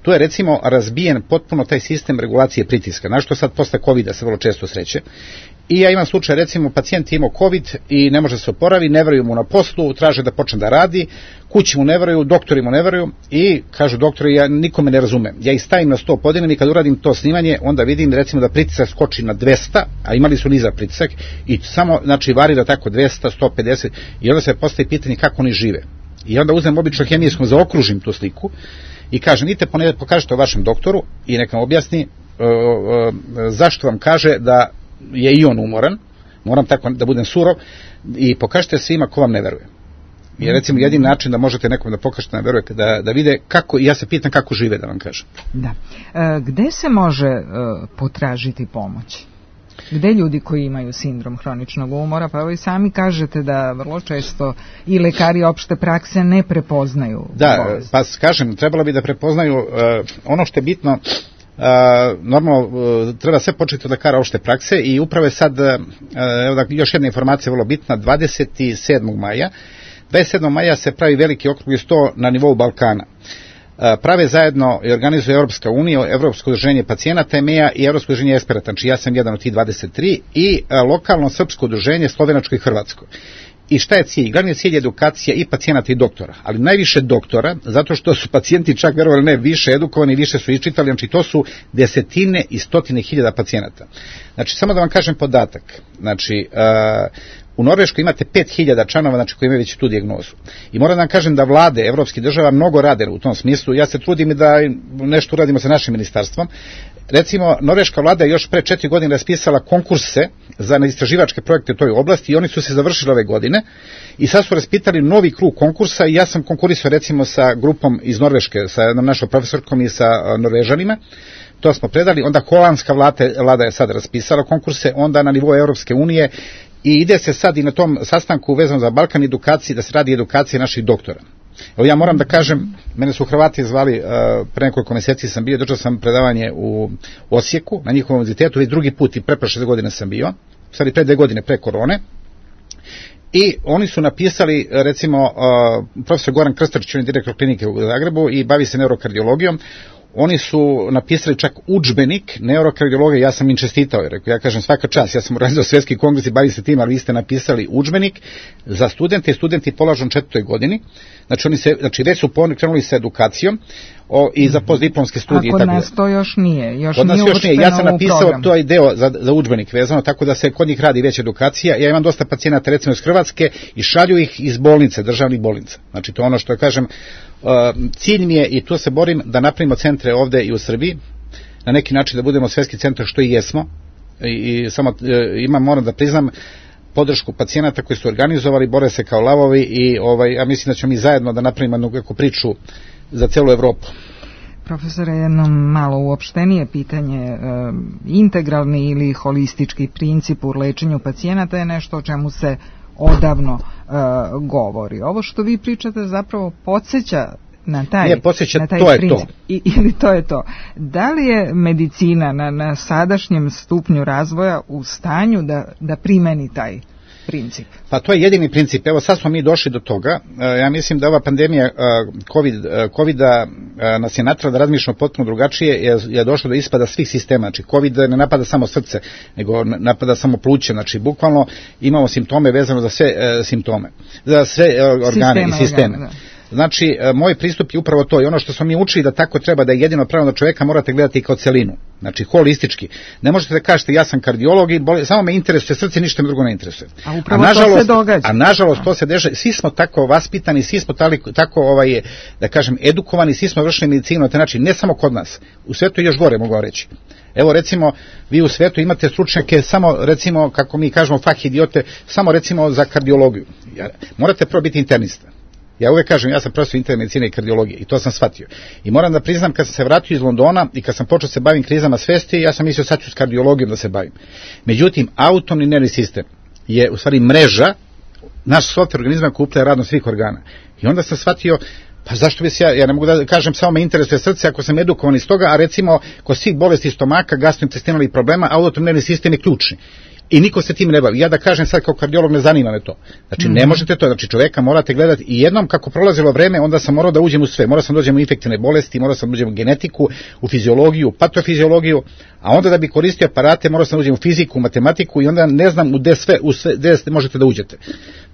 Tu je recimo razbijen potpuno taj sistem regulacije pritiska, na što sad posle COVID-a se vrlo često sreće. I ja imam slučaj, recimo, pacijent imao COVID i ne može se oporavi, ne veruju mu na poslu, traže da počne da radi, kući mu ne veruju, doktori mu ne veruju i kažu doktori, ja nikome ne razumem. Ja ih stavim na 100 podine i kad uradim to snimanje, onda vidim recimo da pritisak skoči na 200, a imali su nizak pritisak i samo, znači, varira tako 200, 150 i onda se postavi pitanje kako oni žive. I onda uzmem obično hemijskom, zaokružim tu sliku i kažem, idite pokažete o vašem doktoru i neka objasni zašto vam kaže da je i on umoran, moram tako da budem surov, i pokažite svima ko vam ne veruje. Jer recimo jedin način da možete nekom da pokažete ne veruje, da vide kako, ja se pitam kako žive, da vam kažem. Da. Gde se može potražiti pomoć? Gde ljudi koji imaju sindrom hroničnog umora, pa vi sami kažete da vrlo često i lekari opšte prakse ne prepoznaju bolest. Pa kažem, trebalo bi da prepoznaju ono što je bitno. Normalno treba sve početi od lekara opšte prakse i upravo je sad, evo da, još jedna informacija vrlo bitna, 27. maja se pravi veliki okrugli sto na nivou Balkana. Prave zajedno i organizuje Europska unija, Evropsko udruženje pacijenata EMEA i Evropsko udruženje eksperata, znači ja sam jedan od tih 23, i lokalno srpsko udruženje slovenačko i hrvatsko. I šta je cilj? Glavni cilj je edukacija i pacijenata i doktora, ali najviše doktora, zato što su pacijenti čak verovali ne više edukovani, više su iščitali, znači to su desetine i stotine hiljada pacijenata. Znači, samo da vam kažem podatak, znači, u Norveškoj imate 5000 članova, znači, koji imaju već tu dijagnozu. I moram da vam kažem da vlade evropskih država mnogo rade u tom smislu. Ja se trudim i da nešto uradimo sa našim ministarstvom. Recimo, norveška vlada je još pre 4 godine raspisala konkurse za istraživačke projekte u toj oblasti i oni su se završili ove godine i sad su raspitali novi krug konkursa i ja sam konkurisao recimo sa grupom iz Norveške, sa jednom našom profesorkom i sa Norvežanima. To smo predali, onda holandska vlada je sad raspisala konkurse, onda na nivou Europske unije i ide se sad i na tom sastanku vezano za Balkan edukaciji, da se radi edukacija naših doktora. Evo ja moram da kažem, mene su Hrvati zvali, pre nekoliko meseci sam bio, držao sam predavanje u Osijeku, na njihovom univerzitetu, već drugi put i pre 6 godine sam bio, stvari pre 2 godine pre korone, i oni su napisali, recimo, profesor Goran Krstačić, on je direktor klinike u Zagrebu i bavi se neurokardiologijom, oni su napisali čak udžbenik neurokardiologije, ja sam im čestitao, jer ja kažem svaka čast, ja sam organizovao svjetski kongres i bavi se tim, ali vi ste napisali udžbenik za studente i studenti polažu u 4. godini, znači već su krenuli sa edukacijom i za postdiplomske studije. A kod nas to još nije. Kod nas još nije. Ja sam napisao to deo za udžbenik vezano, tako da se kod njih radi već edukacija. Ja imam dosta pacijenata recimo iz Hrvatske i šalju ih iz bolnice, državnih bolnica. Znači to je ono što kažem, cilj mi je i tu se borim da napravimo centre ovde i u Srbiji, na neki način da budemo svjetski centar što i jesmo. I samo moram da priznam podršku pacijenata koji su organizovali, bore se kao lavovi i ja mislim da ćemo mi zajedno da napravimo jednu priču za celu Evropu. Profesore, jedno malo uopštenije pitanje, integralni ili holistički princip u lečenju pacijenata je nešto o čemu se odavno govori. Ovo što vi pričate zapravo podsjeća na taj to je princip. Ili to je to. Da li je medicina na sadašnjem stupnju razvoja u stanju da primeni taj princip? Pa to je jedini princip. Evo sad smo mi došli do toga. Ja mislim da ova pandemija COVID-a nas je natrala da razmišljamo potpuno drugačije, je došlo do ispada svih sistema. Znači COVID ne napada samo srce, nego napada samo pluće. Znači bukvalno imamo simptome vezano za sve simptome, za sve organe i sisteme. Znači, moj pristup je upravo to i ono što smo mi učili da tako treba, da je jedino pravilno čoveka morate gledati kao celinu, znači holistički. Ne možete da kažete ja sam kardiolog i samo me interesuje srce, ništa me drugo ne interesuje. A upravo to se događa. A nažalost to se dešava, svi smo tako vaspitani, svi smo tako, da kažem, edukovani, svi smo vršili medicinu na taj način, ne samo kod nas, u svetu još gore mogu reći. Evo recimo, vi u svetu imate stručnjake samo recimo, kako mi kažemo fah idiote, samo recimo za kardiologiju. Morate prvo biti internista. Ja uvek kažem, ja sam profesor interne medicine i kardiologije i to sam shvatio. I moram da priznam, kad sam se vratio iz Londona i kad sam počeo se bavim krizama svesti, ja sam mislio sad ću s kardiologijom da se bavim. Međutim, autonomni nervni sistem je u stvari mreža, naš softver organizma koji uplaje radno svih organa. I onda sam shvatio, pa zašto bi se ja ne mogu da kažem samo me interesuje srce ako sam edukovan iz toga, a recimo kod svih bolesti stomaka, gastrointestinalnih problema, autonomni nervni sistem je ključni. I niko se tim ne bavi. Ja da kažem sad kao kardiolog ne zanima me to. Znači ne možete to, znači čoveka morate gledati i jednom kako prolazilo vreme, onda sam morao da uđem u sve. Morao sam da uđem u infektivne bolesti, morao sam da uđem u genetiku, u fiziologiju, patofiziologiju, a onda da bi koristio aparate morao sam da uđem u fiziku, u matematiku i onda ne znam gde možete da uđete.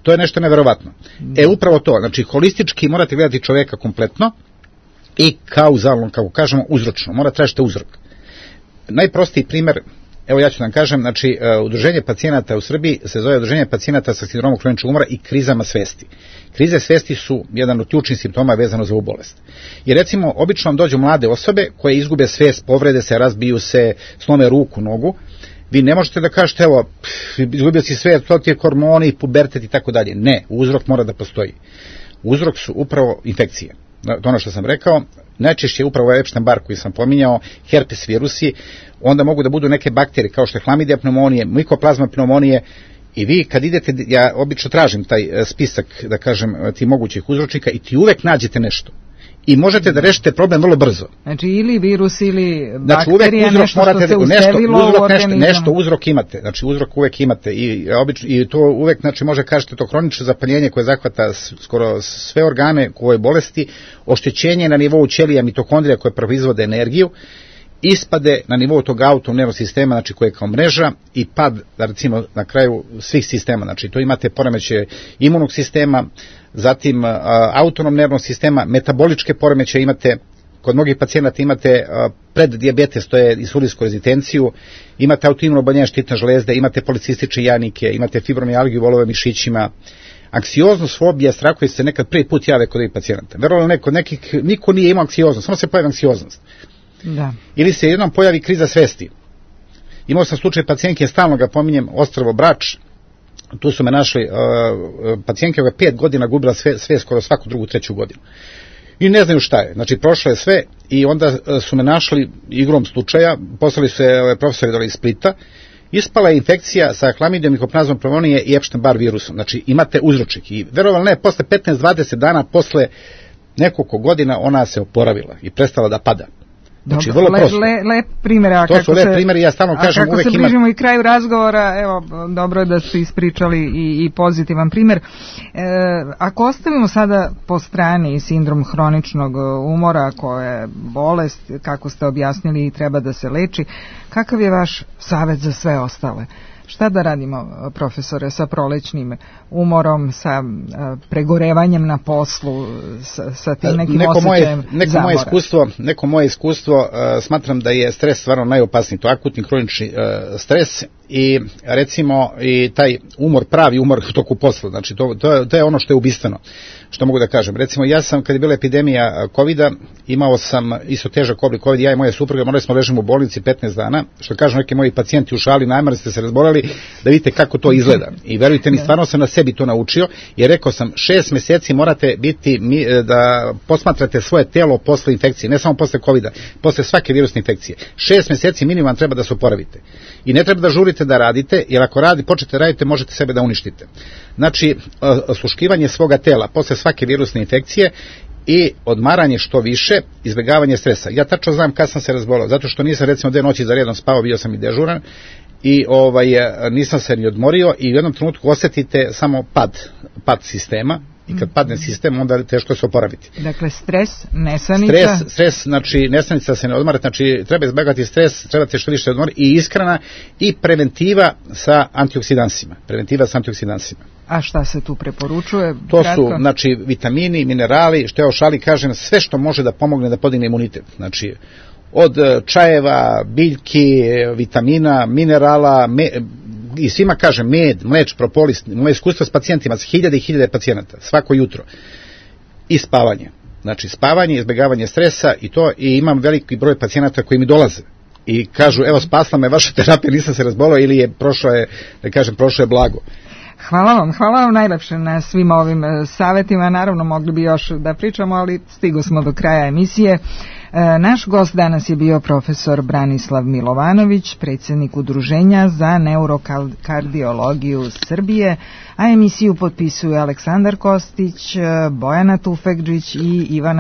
To je nešto neverovatno. Upravo to, znači holistički morate gledati čoveka kompletno i kauzalno, kako kažemo, uzročno. Mora tražiti uzrok. Najprostiji primer, evo ja ću da vam kažem, znači udruženje pacijenata u Srbiji se zove udruženje pacijenata sa sindromom hroničnog umora i krizama svesti. Krize svesti su jedan od ključnih simptoma vezano za ovu bolest. I recimo, obično vam dođu mlade osobe koje izgube svest, povrede se, razbiju se, slome ruku, nogu. Vi ne možete da kažete, evo, izgubio si svest, to ti je hormoni, pubertet i tako dalje. Ne, uzrok mora da postoji. Uzrok su upravo infekcije. To ono što sam rekao, najčešće je upravo Epstein-Barr koji sam pominjao, herpes virusi, onda mogu da budu neke bakterije kao što je hlamidija pneumonije, mikoplazma pneumonije i vi kad idete, ja obično tražim taj spisak, da kažem, ti mogućih uzročnika i ti uvek nađete nešto. I možete da rešite problem vrlo brzo. Znači ili virus ili bakterija, nešto što se uselilo u organizam. Nešto uzrok imate, znači uzrok uvek imate i to uvek, znači može kažete to hronično zapaljenje koje zahvata skoro sve organe u ovoj bolesti, oštećenje na nivou ćelija mitohondrija koje proizvode energiju, ispade na nivou tog autonomnog sistema, znači koje je kao mreža i pad, recimo, na kraju svih sistema, znači to imate poremećaje imunog sistema, zatim autonomnog sistema, metaboličke poremećaje imate, kod mnogih pacijenata imate preddijabetes, to je insulinsku rezitenciju, imate autoimuno oboljenje štitne žlezde, imate policistične jajnike, imate fibromijalgiju u volovima mišićima, anksioznost, fobija, strahovi se nekad prvi put jave kod ovih pacijenata. Verovatno kod nekih niko nije imao anksioznost, samo se pojavi anksioznost. Da. Ili se jednom pojavi kriza svesti. Imao sam slučaj pacijentke, stalno ga pominjem, ostrvo Brač, tu su me našli pacijentke koja 5 godina gubila sve skoro svaku drugu, treću godinu. I ne znaju šta je. Znači, prošlo je sve i onda su me našli igrom slučaja, poslali su profesori dole iz Splita, ispala je infekcija sa hlamidijom, mikoplazmom pneumonije i Epstein-Barr virusom. Znači, imate uzročnik. I verovatno ne, posle 15-20 dana, posle nekoliko godina ona se oporavila i prestala da pada. Znači, vrlo prosto. Lep primjer. To su lep primjeri, ja stalno kažem, uvek ima. Kako se bližimo i kraju razgovora, evo, dobro je da ste ispričali i pozitivan primjer. Ako ostavimo sada po strani sindrom hroničnog umora, koja je bolest, kako ste objasnili, i treba da se leči, kakav je vaš savjet za sve ostale? Šta da radimo, profesore, sa prolećnim umorom, sa pregorevanjem na poslu, sa tim nekim osjećajem zamora? Neko moje iskustvo, smatram da je stres stvarno najopasniji, to je akutni hronični stres i recimo i taj umor, pravi umor toku posla, znači to je ono što je ubistveno, što mogu da kažem. Recimo ja sam, kad je bila epidemija COVID-a, imao sam isto težak oblik COVID, ja i moja supruga, morali smo ležimo u bolnici 15 dana, što kažu neki moji pacijenti u šali, najmar ste se razboleli, da vidite kako to izgleda. I verujte mi, stvarno sam na sebi to naučio, jer rekao sam, 6 meseci morate biti, da posmatrate svoje telo posle infekcije, ne samo posle COVID-a, posle svake virusne infekcije. 6 meseci minimum treba da se oporavite. I ne treba da žurite da radite, jer ako počnete radite, možete sebe da uništite. Znači, osluškivanje svoga tela posle svake virusne infekcije i odmaranje što više, izbjegavanje stresa. Ja tačno znam kad sam se razbolao, zato što nisam recimo 2 noći za redom spavao, bio sam i dežuran i nisam se ni odmorio i u jednom trenutku osjetite samo pad sistema, I kad padne sistem, onda je teško se oporaviti. Dakle, stres, nesanica. Stres, znači nesanica se ne odmara, znači treba izbjegati stres, trebate što više odmoriti i ishrana i preventiva sa antioksidansima. A šta se tu preporučuje? To su, znači, vitamini, minerali, što ja o šali kažem, sve što može da pomogne da podigne imunitet. Znači, od čajeva, biljki, vitamina, minerala, i svima kažem, med, mleč, propolis, moje iskustvo s pacijentima, s hiljade i hiljade pacijenata, svako jutro. I spavanje. Znači, spavanje, izbjegavanje stresa i to, i imam veliki broj pacijenata koji mi dolaze i kažu, evo, spasla me vaša terapija, nisam se razbolao ili je prošlo je blago. Hvala vam najlepše na svim ovim savjetima. Naravno, mogli bi još da pričamo, ali stigo smo do kraja emisije. Naš gost danas je bio profesor Branislav Milovanović, predsjednik Udruženja za neurokardiologiju Srbije, a emisiju potpisuju Aleksandar Kostić, Bojana Tufekđić i Ivana